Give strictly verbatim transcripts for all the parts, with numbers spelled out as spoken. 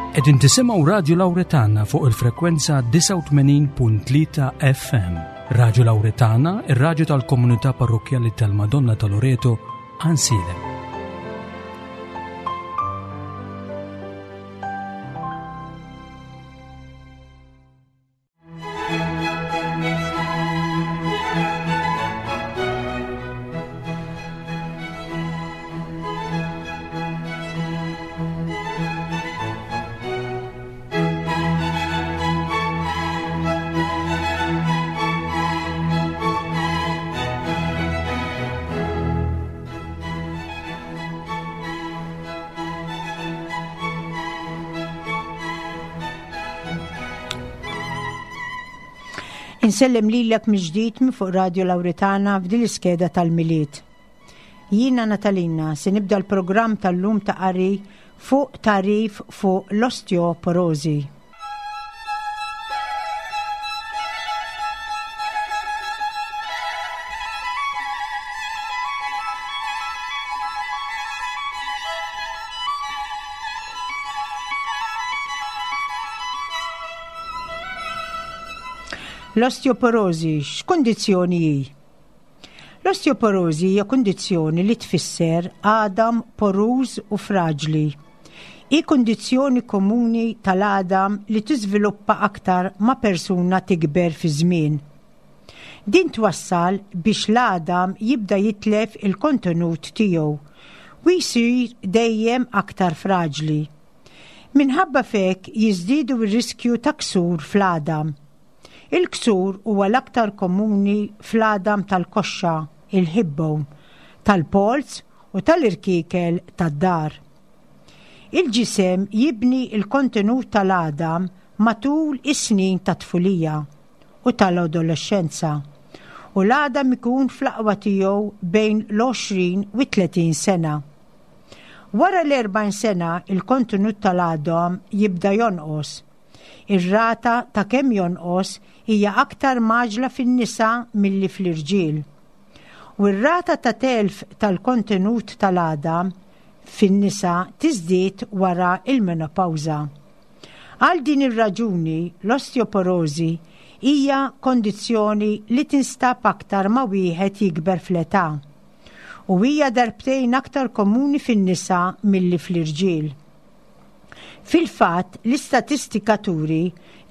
Qegħdin tisimgħu Radio Lauretana fuq il-frekwenza disgħa u tmenin punt tlieta F M. Radio Lauretana, ir-radju tal-Komunità Parrokkjali tal-Madonna ta' Loreto, Għajnsielem. Insellem lilek mill-ġdid minn fuq Radio Lauretana f'din l-iskeda tal-Milied. Jiena Natalina se nibda l-programm tal-lum ta' qari fuq tagħrif fuq l-osteoporosi. L-osteoporosi x'kundizzjoni hi? L-osteoporosi hija kundizzjoni li tfisser għadam poruż u fraġli. Hi kundizzjoni komuni tal-għadam li tiżviluppa aktar ma persuna tikber fi żmien. Din twassal biex l-għadam jibda jitlef il-kontenut tiegħu u jsir dejjem aktar fraġli. Minħabba f'hekk jiżdiedu r-riskju ta' ksur fl-għadam. Il-ksur huwa l-aktar komuni fl-għadam tal-koxxa, il-hip bone, tal-polz u tal-irkiekel tad-dahar. Il-ġisem jibni il-kontenut tal-għadam matul is-snin ta' tfulija u tal-adolescenza u l-għadam ikun fl-aqwa tiegħu bejn l-għoxrin u tletin sena. Wara l-erbgħin sena, il-kontenut tal-għadam jibda jonqos. Ir-rata ta' kemm jonqos hija aktar mgħaġġla fin-nisa milli fl-irġiel. U r-rata ta' telf tal-kontenut tal-għadam fin-nisa tiżdied wara il-menopawża. Għal din ir-raġuni, l-osteoporosi hija kondizzjoni li tinstab aktar ma wieħed jikber fl-età u hija darbtejn aktar komuni fin-nisa milli fl-irġiel. Fil-fatt, l-istatistika turi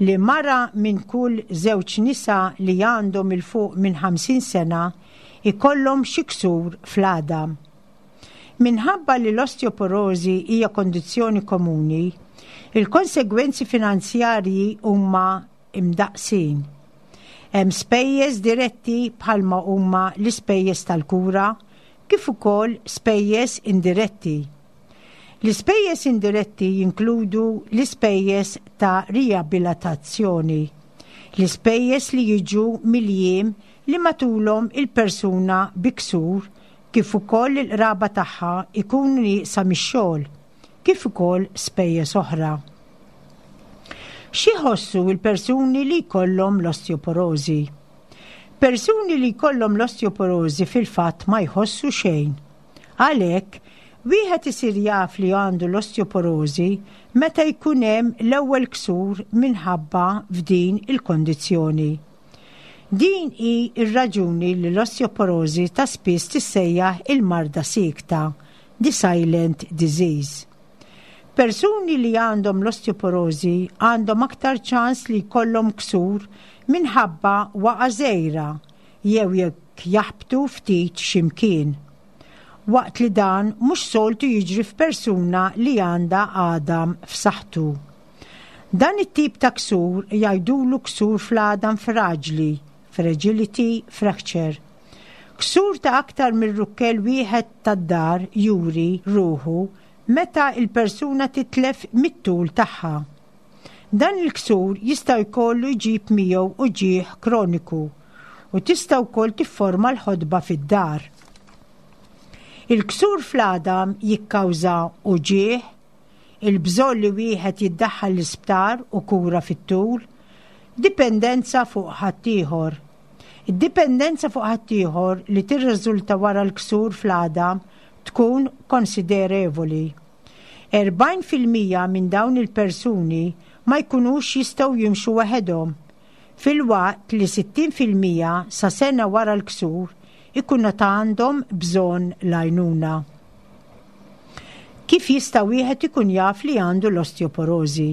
li mara minn kull żewġ nisa li għandhom 'il fuq minn ħamsin sena ikollhom xi ksur fl-għadam. Minħabba li l-osteoporosi hija kondizzjoni komuni, il-konsegwenzi finanzjarji huma imdaqsin. Hemm spejjeż diretti bħalma huma l-ispejjeż tal-kura kif ukoll spejjeż indiretti. L-ispejjeż indiretti jinkludu l-ispejjeż ta' riabilitazzjoni, l-ispejjeż li jiġu mill-jiem li matulhom il-persuna bi ksur kif ukoll il-qraba tagħha ikunu nieqsa mix-xogħol, kif ukoll spejjeż oħra. Xi jħossu l-persuni li jkollhom l-osteoporosi? Persuni li jkollhom l-osteoporosi fil-fatt ma jħossu xejn. Għalhekk, wieħed isir jaf li għandu l-osteoporosi meta jkun hemm l-ewwel ksur minħabba f'din il-kondizzjoni. Din hi r-raġuni li l-osteoporosi ta' spiss tissejjaħ il-marda siekta, the silent disease. Persuni li għandhom l-osteoporosi għandhom aktar ċans li jkollhom ksur minħabba waqa żgħira jew jekk jaħbtu ftit ximkien, waqt li dan mhux soltu jiġri f'persuna li għandha għadam f'saħħtu. Dan it-tip ta' ksur jgħidulu ksur fl-għadam fraġli, fragility fracture. Ksur ta' aktar minn rukkel wieħed tad-dahar juri ruħu meta il-persuna titlef mit-tul tagħha. Dan il-ksur jista' jkollu jġib miegħu uġigħ kroniku u tista' wkoll tifforma l-ħodba fid-dahar. Il-ksur fl-għadam jikkawża uġigħ, il-bżonn li wieħed jiddaħħal l-isptar u kura fit-tul, dipendenza fuq ħaddieħor. Id-dipendenza fuq ħaddieħor li tirriżulta wara l-ksur fl-għadam tkun konsiderevoli. Erbgħin fil-mija minn dawn il-persuni ma jkunux jistgħu jimxu waħedhom, filwaqt li sittin fil-mija sa sena wara l-ksur ikunu ta' għandhom bżonn l-għajnuna. Kif jista' wieħed ikun jaf li għandu l-osteoporożi?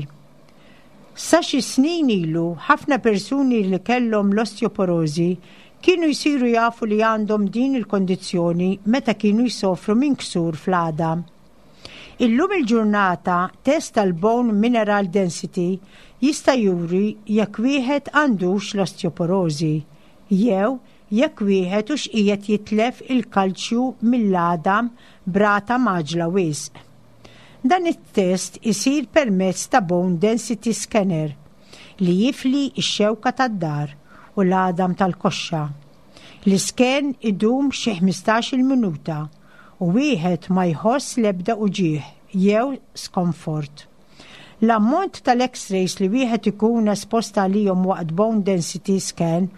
Sa xi snin ilu ħafna persuni li kellhom l-osteoporożi kienu jsiru jafu li għandhom din il-kondizzjoni meta kienu jsofru minn ksur fl-għadam. Illum il-ġurnata test tal-bone mineral density jista' juri jekk wieħed għandux l-osteoporożi jew jekk wieħed hux qiegħed jitlef il-kalċju mill-għadam b'rata mgħaġġla wisq. Dan it-test isir permezz ta' bone density scanner li jifli x-xewka tad-dahar u l-għadam tal-koxxa. L-isken idum xi ħmistax-il minuta u wieħed ma jħoss l-ebda uġigħ jew skomfort. L-ammont tal-X-rays li wieħed ikun espost għalihom waqt bone density scan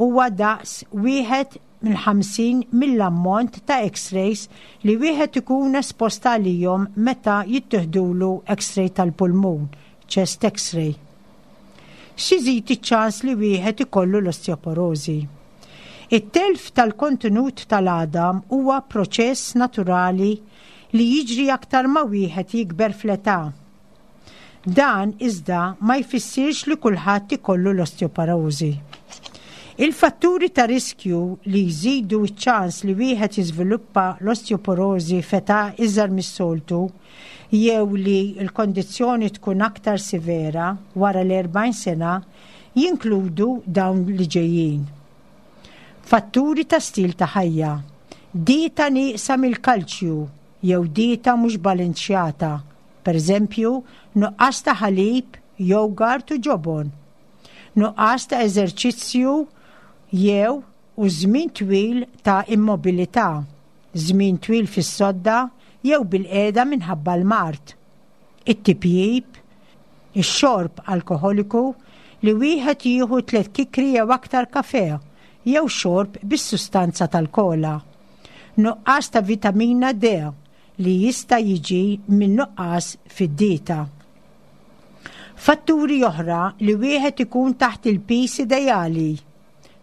huwa daqs wieħed minn ħamsin mill-ammont ta' X-rays li wieħed ikun espost għalihom meta jittieħdulu X-ray tal-pulmun, chest X-ray. X'iżid iċ-ċans li wieħed ikollu l-osteoporożi? It-telf tal-kontenut tal-għadam huwa proċess naturali li jiġri aktar ma wieħed jikber fl-età. Dan iżda ma jfissirx li kulħadd ikollu l-osteoporożi. Il-fatturi ta' riskju li jżidu ċ-ċans li wieħed jiżviluppa l-osteoporożi f'età iżgħar mis-soltu jew li l-kondizzjoni tkun aktar severa wara l-erbgħin sena jinkludu dawn li ġejjin. Fatturi ta' stil ta' ħajja, dieta nieqsa mill-kalċju jew dieta mhux balanċjata, pereżempju nuqqas ta' ħalib, jogurt u ġobon, nuqqas ta' eżerċizzju jew u żmien twil ta' immobilità, żmien twil fis-sodda jew bil-qiegħda minħabba l-mard, it-tipjib, ix-xorb alkoholiku li wieħed jieħu tliet kikri jew aktar kafe jew xorb bis-sustanza tal-kola, nuqqas ta' vitamina D li jista' jiġi minn nuqqas fid-dieta. Fatturi oħra li wieħed ikun taħt il-pis ideali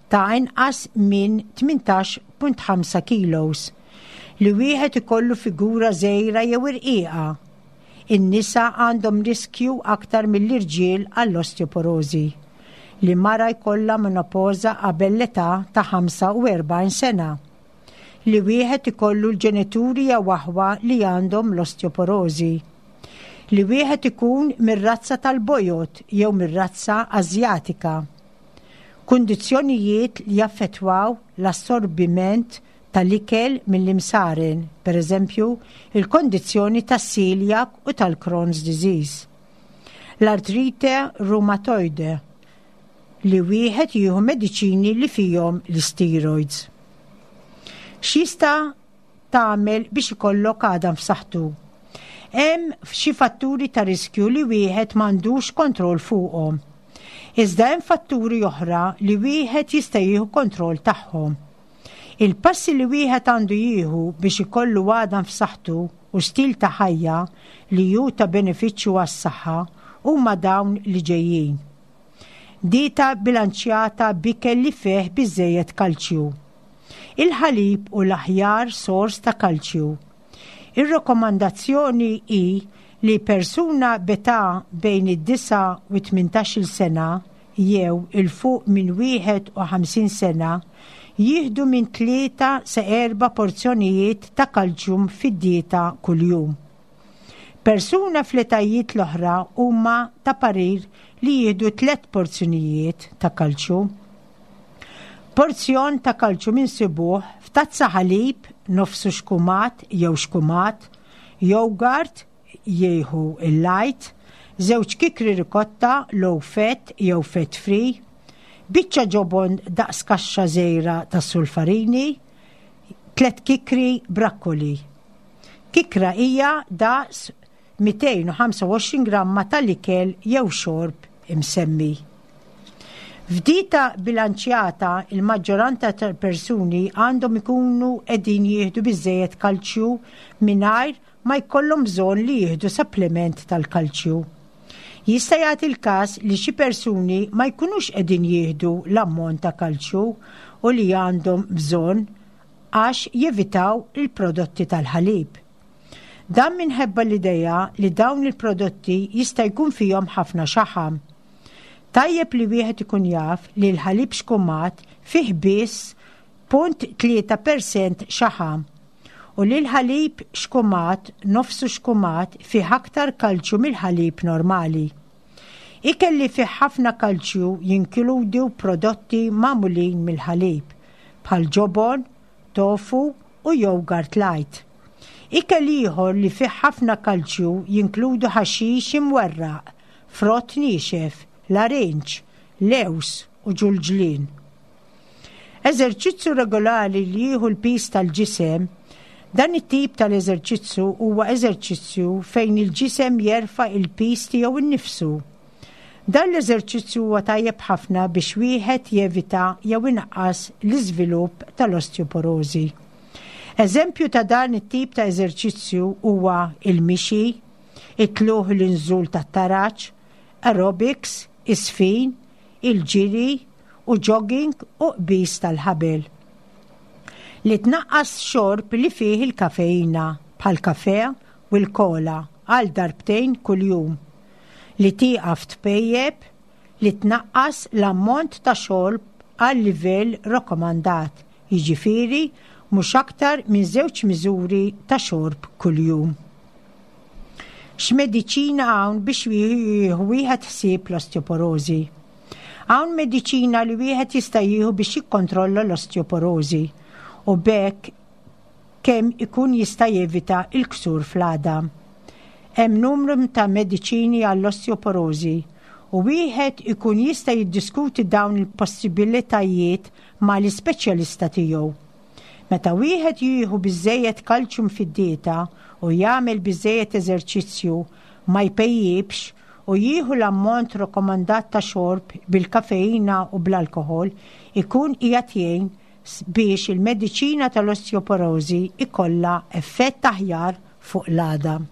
ta' inqas minn tmintax punt ħamsa kilos, li wieħed ikollu figura żgħira jew irqiqa. In-nisa għandhom riskju aktar mill-irġiel għall-osteoporożi, li mara jkollha menopoża qabel l-età ta' ħamsa u erbgħin sena, li wieħed ikollu l-ġenituri jew aħwa li għandhom l-osteoporożi, li wieħed ikun mir-razza tal-bojod jew mir-razza Asjatika. Kundizzjonijiet li jaffettwaw l-assorbiment tal-ikel mill-imsaren, per eżempju, il-kondizzjoni tas-celiac u tal-Crohn's disease. L-artrite reumatoide, li wieħed jieħu mediċini li fihom l-steroids. X'jista' tagħmel biex ikollok għadam f'saħħtu? Hemm xi fatturi ta' riskju li wieħed m'għandux kontroll fuqhom. Iżda hemm fatturi oħra li wieħed jista' jieħu kontroll tagħhom. Il-passi li wieħed għandu jieħu biex ikollu għadam f'saħħtu u stil ta' ħajja li hu ta' benefiċċju għas-saħħa huma dawn li ġejjin. Dieta bilanċjata b'ikel li fih biżżejjed kalċju. Il-ħalib u l-aħjar sors ta' kalċju. Ir-rakkomandazzjoni hi li persuna b'età bejn id-disa u tmintax-il sena jew il fuq minn wieħed u ħamsin sena jieħdu minn tlieta sa erba' porzjonijiet ta' kalċjum fid-dieta kuljum. Persuna fl-etajiet l-oħra huma ta' parir li jieħdu tliet porzjonijiet ta' kalċju. Porzjon ta' kalċju minsibuh f'tazza ħalib, nofsu xkumat jew xkumat, jogurt jieħu il-light, żewġ kikri rikotta low fat jew fat free, biċċa ġobon daqs kaxxa żgħira ta' sulfarini, tliet kikri brakkoli. Kikra hija daqs mitejn u ħamsa u għoxrin gramma tal-ikel jew xorb imsemmi. F'dieta bilanċjata, il-maġġoranza tal-persuni għandhom ikunu qegħdin jieħdu biżejjed kalċju mingħajr ma jkollhom bżonn li jieħdu supplement tal-kalċju. Jista' jagħti l-każ li xi persuni ma jkunux qegħdin jieħdu l-ammont ta' kalċju u li għandhom bżonn għax jevitaw il-prodotti tal-ħalib. Dan minħabba l-idea li dawn il-prodotti jista' jkun fihom ħafna xaħam. Tajjeb li wieħed ikun jaf li l-ħalib xkumat fih biss punt tlieta percent xaħam u li l-ħalib xkumat nofsu xkumat fih aktar kalċju mill-ħalib normali. Ikel li fih ħafna kalċju jinkludu prodotti magħmulin mill-ħalib bħal ġobon, tofu u yogurt light. Ikel ieħor li fih ħafna kalċju jinkludu ħaxix imwerraq, frott niexef, larinġ, lews u ġulġlien. Eżerċizzju regolari li jieħu l-piż tal-ġisem. Dan it-tip tal-eżerċizzju huwa eżerċizzju fejn il-ġisem jerfa' il-piż tiegħu nnifsu. Dan l-eżerċizzju huwa tajjeb ħafna biex wieħed jevita jew inaqqas l-iżvilupp tal-osteoporożi. Eżempju ta' dan it-tip ta' eżerċizzju huwa il-mixi, it-tluħ l-inżul tat-taraġ, aerobics, isfin, il-ġiri u jogging u qbiż tal-ħabel. Li tnaqqas xorb li fih il-kafeina bħal kafe u l-kola għal darbtejn kuljum. Li tieqaf tpejjeb, li tnaqqas l-ammont ta' xorb għal livell rakkomandat, jiġifieri mhux aktar minn żewġ miżuri ta' xorb kuljum. X'mediċina hawn biex jieħu wieħed ħsieb l-osteoporożi? Hawn mediċina li wieħed jista' jieħu biex jikkontrolla l-osteoporożi u b'hekk kemm ikun jista' jevita l-ksur fl-għadam. Hemm numru ta' mediċini għall-osteoporożi u wieħed ikun jista' jiddiskuti dawn il-possibilitajiet mal-ispeċjalista tiegħu. Meta wieħed jieħu biżejjed kalċjum fid-dieta u jagħmel biżejjed eżerċizzju, ma jpejjibx u jieħu l-ammont rakkomandat ta' xorb bil-kafeina u bl-alkohol, ikun qiegħed jgħin biex il-mediċina tal-osteoporożi ikollha effett aħjar fuq l-għadam.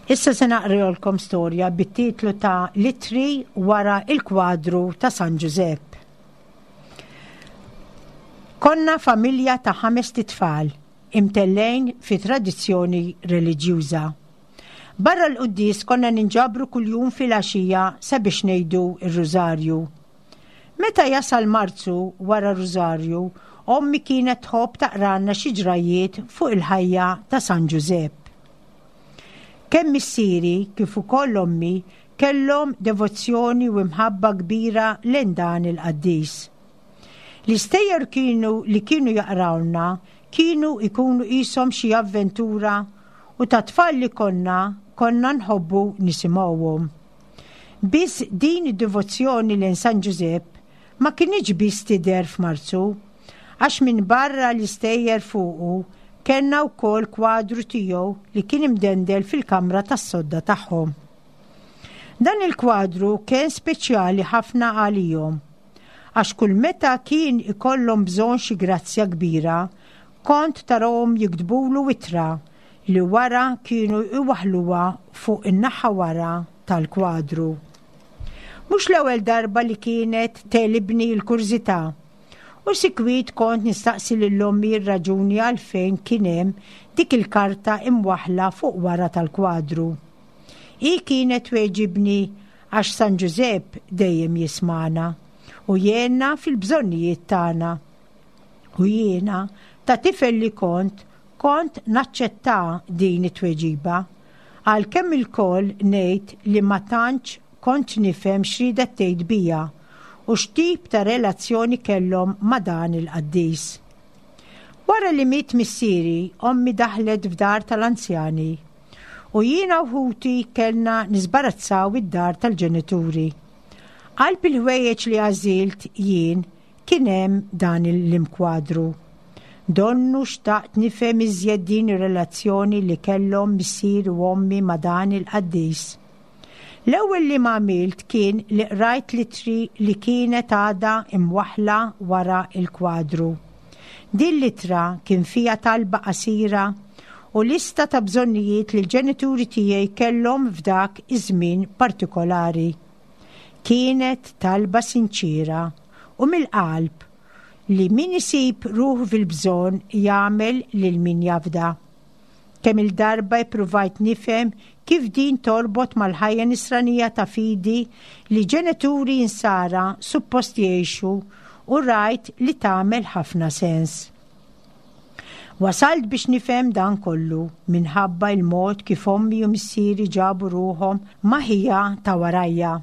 Issa se naqrilkom storja bit-titlu ta' Litri wara il-kwadru ta' San Ġużepp. Konna familja ta' ħames tfal imtellejn fi tradizzjoni reliġjuża. Barra l-quddies konna ninġabru kuljum fil-għaxija sabiex ngħidu r-Rużarju. Meta jasal Marzu wara r-Rużarju, ommi kienet tħobb taqranna xi ġrajiet fuq il-ħajja ta' San Ġużepp. Kemm missieri kif ukoll ommi kellhom devozzjoni u imħabba kbira lejn dan il-qaddis. L-istejjer kienu li kienu jaqrawna kienu ikunu qishom xi avventura u ta' tfal li konna konna nħobbu nisimgħuhom. Biss din id-devozzjoni lejn San Ġużepp ma kinitx biss tidher f'Marzu, għax minn barra l-istejjer fuqu kellna wkoll kwadru tiegħu li kien imdendel fil-kamra tas-sodda tagħhom. Dan il-kwadru kien speċjali ħafna għalihom, għax kull meta kien ikollhom bżonn xi grazzja kbira, kont tarahom jiktbulu ittra li wara kienu iwaħluha fuq in-naħa wara tal-kwadru. Mhux l-ewwel darba li kienet telibni l-kurżità U sikwit kont nistaqsi lil ommi r-raġuni għalfejn kien hemm dik il-karta imwaħla fuq wara tal-kwadru. Hi kienet tweġibni għax San Ġużepp dejjem jismagħna u jgħinna fil-bżonnijiet tagħna. U jiena ta' tifel li kont, kont naċċetta din it-tweġiba. Għalkemm ilkoll ngħid li ma tantx kont nifhem x'riedet tgħid bija u x'tip ta' relazzjoni kellhom ma' dan il-qaddis. Wara li miet missieri, ommi daħlet f'dar tal-anzjani u jiena u ħuti kellna nisbarazzaw id-dar tal-ġenituri. Qalb il-ħwejjeġ li għażilt jien kien hemm dan l-imkwadru. Donnu xtaqt nifhem iżjed din ir-relazzjoni li kellhom missier u ommi ma' dan il-qaddis. L-ewwel li għamilt kien li qrajt l-ittri li kienet għadha imwaħla wara il-kwadru. Din l-ittra kien fiha talba qasira u lista ta' bżonnijiet li l-ġenituri tiegħi kellhom f'dak iż-żmien partikolari. Kienet talba sinċira u mill-qalb li min isib ruħu fil-bżonn jagħmel lil min jafda. Kemm il-darba ippruvajt nifhem kif din torbot mal-ħajja nisranija ta' fidi li ġenituri insara suppost jgħixu u rajt li tagħmel ħafna sens. Wasalt biex nifhem dan kollu minħabba il-mod kif ommi u missieri ġabu ruħhom ma' ħija ta' warajja.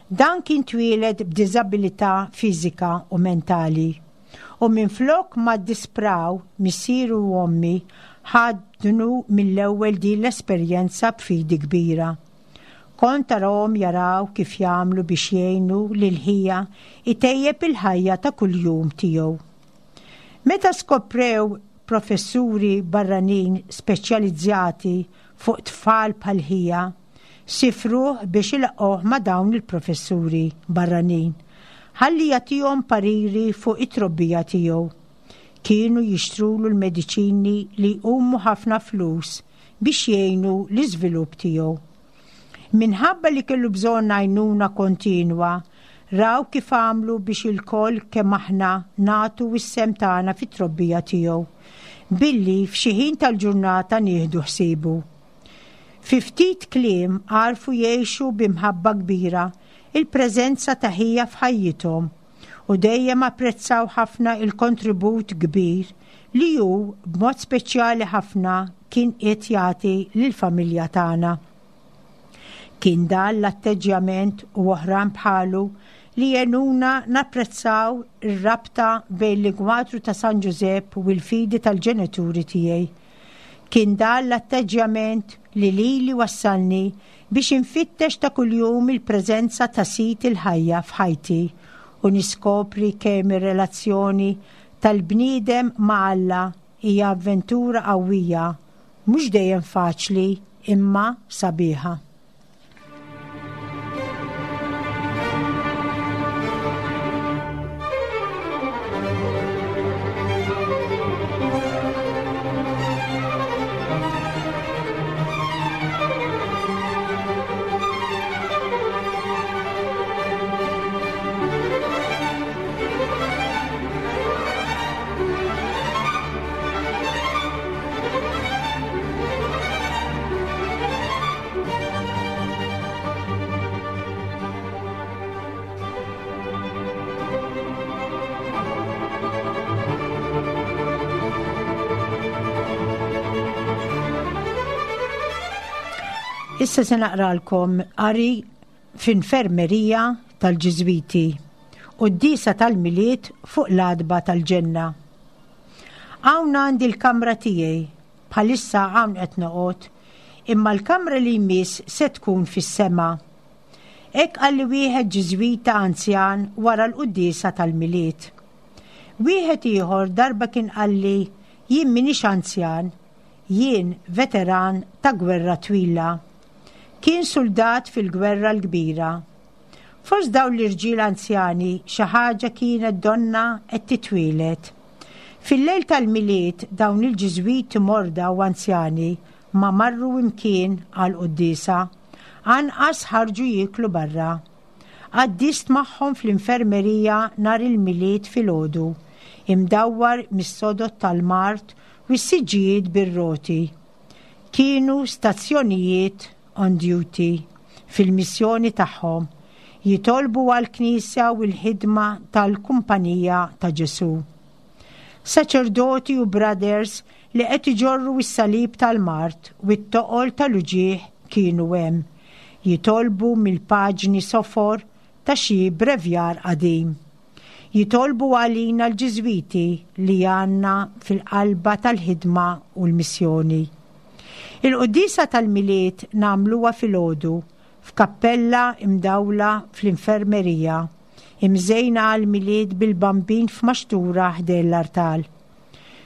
Dan kien twieled b'diżabilità fiżika u mentali. U minflok ma ddispraw missieru u ommi ħadnu mill-ewwel din l-esperjenza b'fidi kbira. Kont tarahom jaraw kif jagħmlu biex jgħinu lil ħija itejjeb il-ħajja ta' kuljum tiegħu. Meta skoprew professuri barranin speċjalizzati fuq tfal bħal ħija, sifruh biex ilaqgħuh ma' dawn il-professuri barranin ħalli jagħtihom pariri fuq it-trobbija tiegħu. Kienu jixtrulu l-mediċini li jqumu ħafna flus biex jgħinu l-iżvilupp tiegħu. Minħabba li kellu bżonn għajnuna kontinwa, raw kif għamlu biex ilkoll kemm aħna nagħtu s-sehem tagħna fit-trobbija tiegħu, billi f'xi ħin tal-ġurnata nieħdu ħsiebu. Fi ftit kliem għarfu jgħixu b'imħabba kbira il-preżenza ta' ħija f'ħajjithom u dejjem apprezzaw ħafna il-kontribut kbir li hu b'mod speċjali ħafna kien qed jagħti lill-familja tagħna. Kien dan l-atteġġjament u oħrajn bħalu li għenuna napprezzaw ir-rabta bejn l-inkwadru ta' San Ġużepp u l-fidi tal-ġenituri tiegħi. Kien dan l-atteġġjament li lili wassalni biex infittex ta' kuljum il-preżenza ta' Sid il-ħajja f'ħajti u niskopri kemm ir-relazzjoni tal-bniedem ma' Alla hija avventura qawwija, mhux dejjem faċli imma sabiħa. Issa se naqralkom qari f'infermerija tal-Ġiżwiti u d-disa tal-Milied fuq l-għatba tal-ġenna. Hawn għandi l-kamra tiegħi, bħalissa hawn qed noqgħod, imma l-kamra li jmiss se tkun fis-sema. Hekk qalli wieħed Ġiżwita anzjan wara l-quddiesa tal-Milied. Wieħed ieħor darba kien qalli jien m'iniex anzjan, jien veteran ta' gwerra twila. Kien soldat fil-gwerra l-kbira. Fost dawn l-irġiel anzjani xi ħaġa kienet donna qed titwieled. Fil-lejl tal-Milied dawn il-Ġiżwiti morda u anzjani ma marru imkien għal quddiesa, anqas ħarġu jieklu barra. Għaddist magħhom fl-infermerija nhar il-Milied filgħodu imdawwar mis-sodod tal-mard u s-siġġijiet bir-roti. Kienu stazzjonijiet on duty fil-missjoni tagħhom, jitolbu għall-Knisja u l-ħidma tal-Kumpanija ta' Ġesù. Saċerdoti u brothers li qed iġorru s-salib tal-mard u t-toqol tal-uġigħ kienu hemm, jitolbu mill-paġni sofor ta' xi brevjar qadim. Jitolbu għalina l-Ġiżwiti li għandna fil-qalba tal-ħidma u l-missjoni. Il-quddiesa tal-Milied nagħmluha filgħodu f'kappella imdawla fl-infermerija, imżejna għall-Milied bil-Bambin f'maxtura ħdejn l-artal.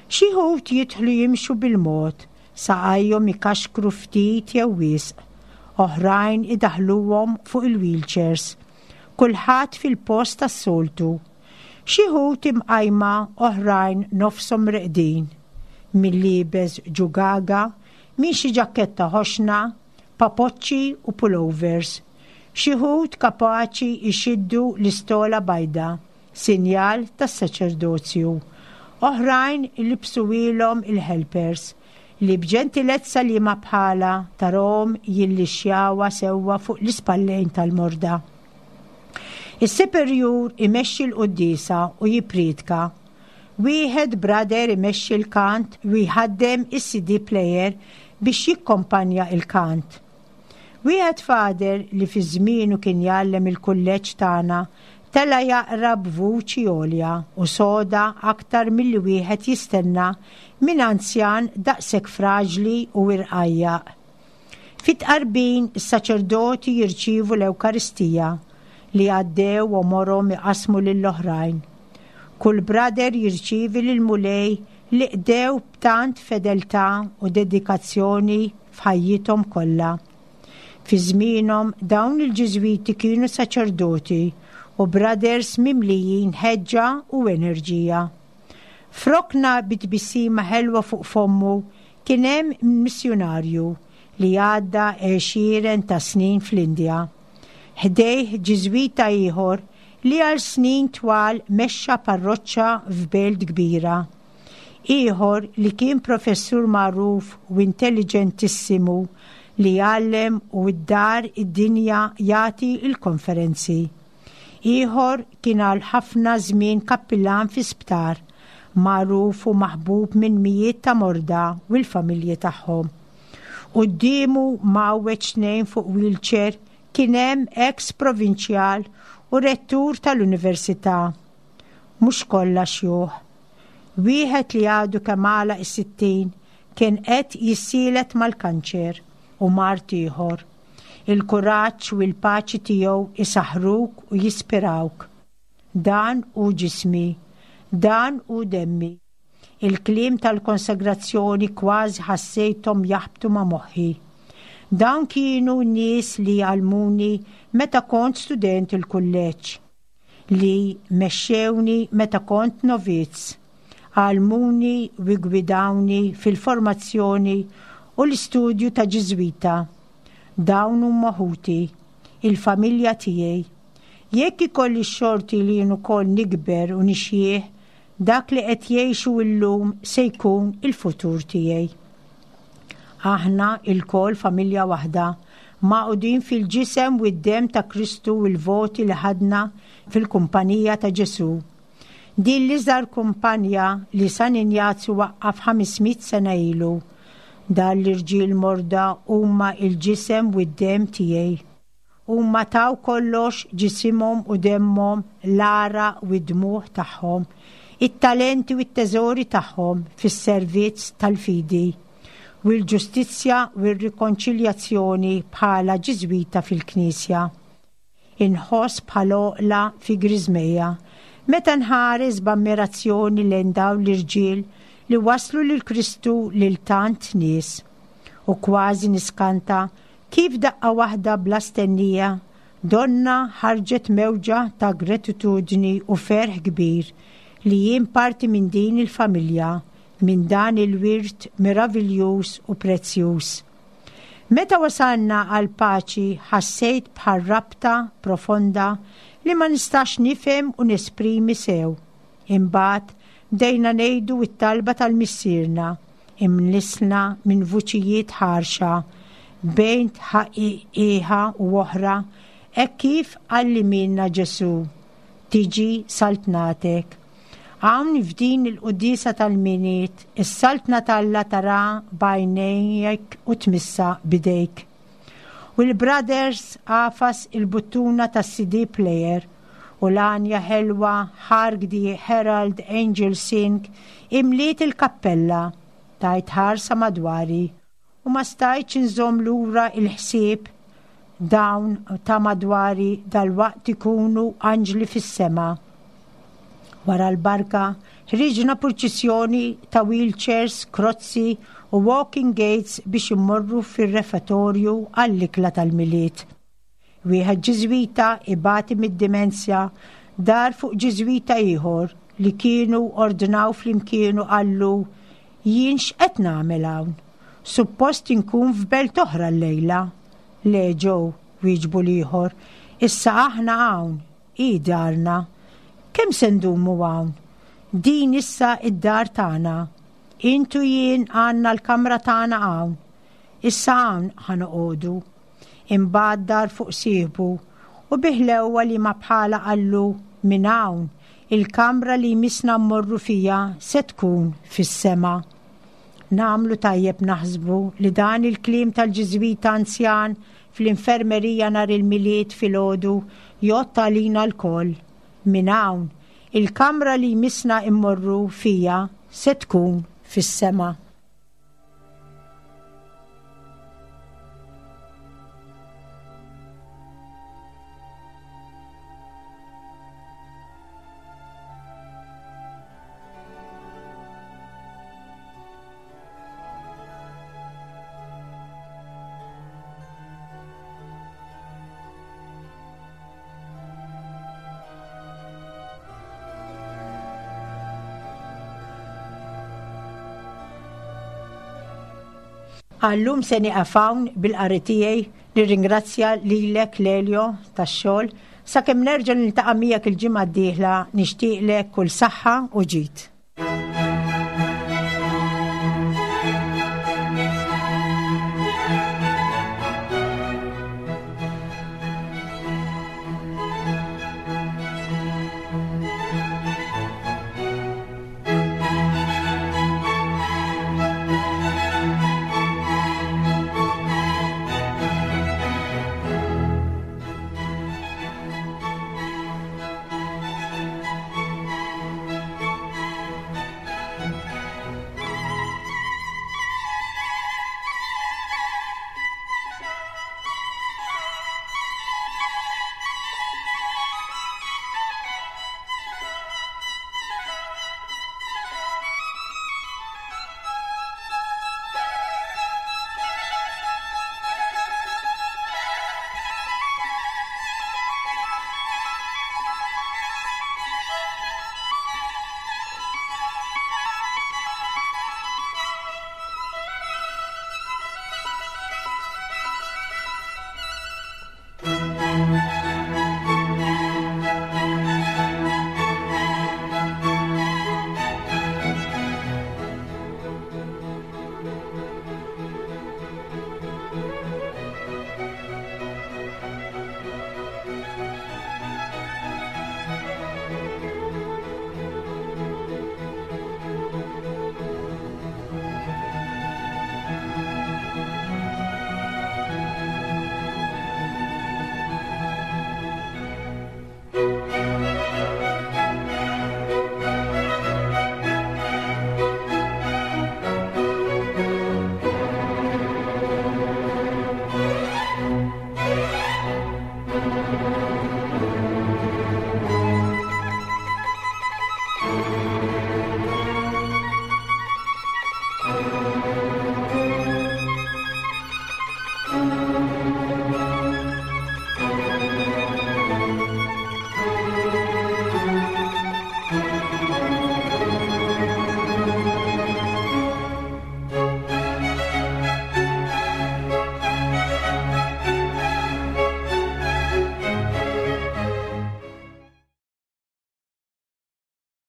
Xi wħud jidħlu jimxu bil-mod, saqajhom ikaxkru ftit jew wisq, oħrajn idaħluhom fuq il-wheelchairs. Kulħadd fil-post tas-soltu. Xi wħud imqajma, oħrajn nofshom reqdin. Min liebes ġugaga, min xi ġaketta ħoxna, papoċċi u pullovers. Xi wħud kapaċi jxiddu l-istola bajda, sinjal tas-saċerdozju. Oħrajn libsuhielhom il-helpers li b'ġentilezza li ma bħala tarahom jillixxjawha sewwa fuq l-ispallejn tal-morda. Is-superjur imexxi l-quddiesa u jippriedka. Wieħed brother imexxi l-kant u jħaddem is-C D player biex jikkompanja il-kant. Wieħed father li fi żmienu kien jgħallem il-kulleġġ tagħna tela jaqra b'vuċi għolja u soda aktar milli wieħed jistenna minn anzjan daqshekk fraġli u irqajjaq. Fit-tqarbin is-saċerdoti jirċievu l-Ewkaristija li għaddew għomorhom iqasmu lill-oħrajn. Kull brother jirċievi lill-Mulej li qdew b'tant fedeltà u dedikazzjoni f'ħajjithom kollha. Fi żmienhom dawn il-Ġiżwiti kienu saċerdoti u brothers mimlijin ħeġġa u enerġija. F'rokna bi tbissima ħelwa fuq fommu kien hemm missjunarju li għadda għexieren ta' snin fl-Indja. Ħdejh Ġiżwita ieħor li għal snin twal mexxa parroċċa f'belt kbira. Ieħor li kien professur magħruf u intelligentissimu li jgħallem u d-dar id-dinja jagħti il-konferenzi. Ieħor kien għal ħafna żmien kappillan fi sptar, magħruf u maħbub minn mijiet ta' morda u l-familji tagħhom. Quddiemu mgħawweġ tnejn fuq wheelchair kien hemm ex provinċjal u rettur tal-università. Mhux kollha xjuħ. Wieħed li għadu kemm għalaq is-sittin kien qed jissielet mal-kanċer u mard ieħor. Il-kuraġġ u l-paċi tiegħu isaħruk u jispirawk. "Dan hu ġismi, dan hu demmi." Il-kliem tal-konsagrazzjoni kważi ħassejthom jaħbtu ma' moħħi. Dawn kienu nies li għallmuni meta kont student il-kulleġġ, li mexxewni meta kont novizz, għallmuni u gwidawni fil-formazzjoni u l-istudju ta' Ġiżwita. Dawn huma ħuti, il-familja tiegħi. Jekk ikolli xorti li jien ukoll nikber u nixjieħ, dak li qed jgħixu llum se jkun il-futur tiegħi. Aħna ilkoll familja waħda, magħqudin fil-ġisem u d-dem ta' Kristu u l-voti li ħadna fil-kumpanija ta' Ġesu. Din l-iżgħar kumpanja li San Injazju waqqaf ħames mitt sena ilu. Dan l-irġiel morda huma il-ġisem u d-dem tiegħi. Huma taw kollox, ġisimhom u demmhom, l-għaraq u d-dmugħ tagħhom, it-talenti u t-teżori tagħhom fis-servizz tal-fidi u l-ġustizzja u r-rikonċiljazzjoni bħala Ġiżwita fil-Knisja. Inħoss bħal oqla fi griżmejja meta nħares b'ammirazzjoni lejn dawn l-irġiel li waslu lil Kristu lil tant nies. U kważi niskanta kif daqqa waħda bla stennija donna ħarġet mewġa ta' gratitudni u ferħ kbir li jien parti minn din il-familja, minn dan il-wirt meraviljuż u prezzjuż. Meta wasalna għal paċi ħassejt bħal rabta profonda li ma nistax nifhem u nesprimi sew. Imbagħad Bdejna ngħidu t-talba tal-Missierna, imlissna minn vuċijiet ħarxa bejn tħaqiqa u oħra, hekk kif għallimilna Ġesù, tiġi saltnatek. Hawn f'din il-quddiesa tal-Milied, is-saltna t'Alla tara b'għajnejk u tmissa b'idejk. U l-Brothers għafas il-buttuna tas-C D player u l-għanja ħelwa Hark the Herald Angel Sing imliet il-kappella. Tajt ħarsa madwari u ma stajtx inżomm lura il-ħsieb, dawn ta' madwari dal-waqt ikunu anġli fis-sema. Wara l-barka ħriġna purċissjoni ta' wheelchairs, krozzi u walking aids biex immorru fir-refettorju għall-ikla tal-Milied. Wieħed Ġiżwita ibati mid-dimensja dar fuq Ġiżwita ieħor li kienu ordnaw flimkien u qallu, "Jien x'qed nagħmel hawn? Suppost inkun f'belt oħra llejla." "Le Joe," wieġbu l-ieħor, "issa aħna hawn, hi darna. Kemm se ndumu hawn? Din issa id-dar tagħna. Int u jien għandna l-kamra tagħna hawn. Issa hawn ħa noqogħdu." Imbagħad dar fuq sieħbu u bi ħlewwa li ma bħala qallu, "Minn hawn il-kamra li jmissna mmorru fija se tkun fis-sema." Nagħmlu tajjeb naħsbu li dan il-kliem tal-Ġiżwita anzjan fl-infermerija nhar il-Milied filgħodu jgħodd għalina lkoll. Minn hawn il-kamra li jmissna immorru fija se tkun fis-sema. Għal-lum se nieqaf hawn bil-qari tiegħi. Nirringrazzja lilek, Lelio, tax-xogħol. Sakemm nerġa' niltaqa' miegħek il-ġimgħa d-dieħla, nixtieqlek kull saħħa u ġid.